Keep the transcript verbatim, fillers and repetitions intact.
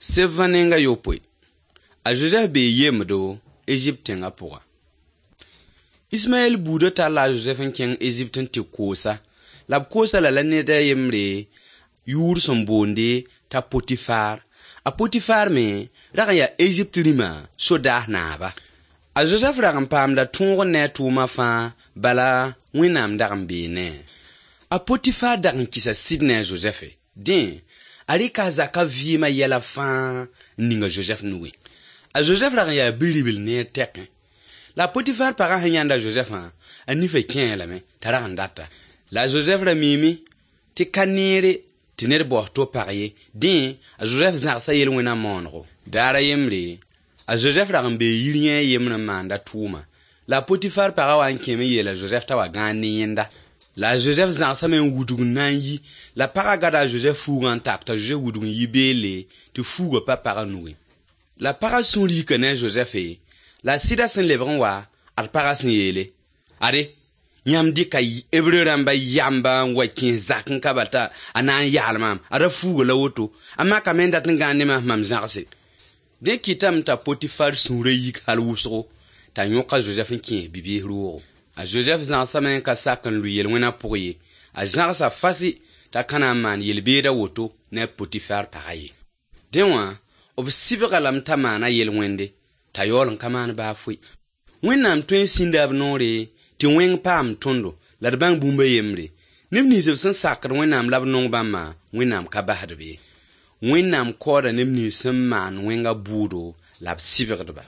Sebã nenga yopoe. A Josɛf bee yembdo Ezipt tẽngã pʋga. Ismaɛl buudã talla a Josɛf n kẽng Ezipt n tɩ koosa. La b koosa lala ned a yembre yʋʋr sẽn boonde t'a Potifaar. A Potifaar me rag n yaa Ezipt rĩmã sodaas naaba. A Josɛf rag n paamda tõog ne a tʋʋma fãa, bala Wẽnnaam dag n bee ne-a. A Potifaar dag n kɩsa sɩd ne a Josɛfe. Dẽ, a rɩka a zakã vɩɩmã yɛla fãa n ning a Josɛf nugẽ. A Josɛf rag n yaa bi-ribl neer tɛkẽ. La a Potifaar pagã sẽn yãnd a Josɛfã, a nifã kẽe lame t'a rag n data. La a Josɛf ra miime tɩ ka neere tɩ ned baoos to pag ye. Dẽ, a Josɛf zãgsa yel-wẽna moonego. Daar a yembre, a Josɛf rag n bee yir yẽ a yembr n maanda tʋʋma. La a Potifaar pagã wa n kẽeme n yeela Josɛf t'a wa gãag ne yẽnda. La a Josɛf zãgsame n wudg n na n yi. La pagã gada a Josɛf fuugã n tak t'a Josɛf wudg n yi beelle tɩ fuugã pa pagã nugẽ. La pagã sũur yika ne a Josɛfe, la a sɩda sẽn lebg n wa, ad pagã sẽn yeele: Ade, yãmb dɩka Hebre rãmba yamba n wa kẽes zak n ka bal t'a a na n yaal maam, ada fuuga la woto, a makame n dat n gãan ne maam mam zãgse. Dẽ kɩtame t'a Potifar sũurã yik hal wʋsgo, t'a yõk a Josɛf n kẽes bi-biis roogo. A Josɛf zãgsame n ka sak n lʋɩ yel-wẽnã pʋg ye. A zãgsa fasɩ t'a ka na n maan yel-beeda woto ne a Potifar pagã ye. Dẽ wã, b sɩbga lame t'a maana yel-wẽnde, t'a yaool n ka maan baa foe. Wẽnnaam tõe n sĩnda b noore tɩ wẽng paam tõndo la d bãng bũmb a yembre. Neb nins b sẽn sakd Wẽnnaam la b nong bãmbã, Wẽnnaam ka basd-b ye. Wẽnnaam kaooda neb nins sẽn maan wẽnga bʋʋdo la b sɩbgdba.